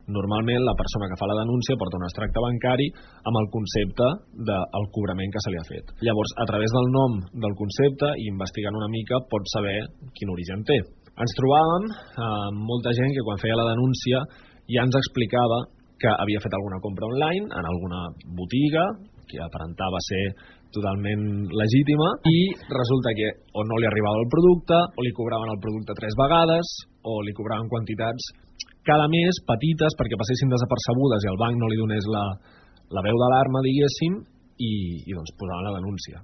Normalment la persona que fa la denúncia porta un extracte bancari amb el concepte del cobrament que se li ha fet. Llavors, a través del nom del concepte i investigant una mica pots saber quin origen té. Ens trobàvem amb molta gent que quan feia la denúncia ja ens explicava que havia fet alguna compra online en alguna botiga que aparentava ser totalment legítima i resulta que o no li arribava el producte o li cobraven el producte 3 vegades o li cobraven quantitats cada mes petites perquè passessin desapercebudes i el banc no li donés la veu d'alarma, diguéssim, i doncs posaven la denúncia.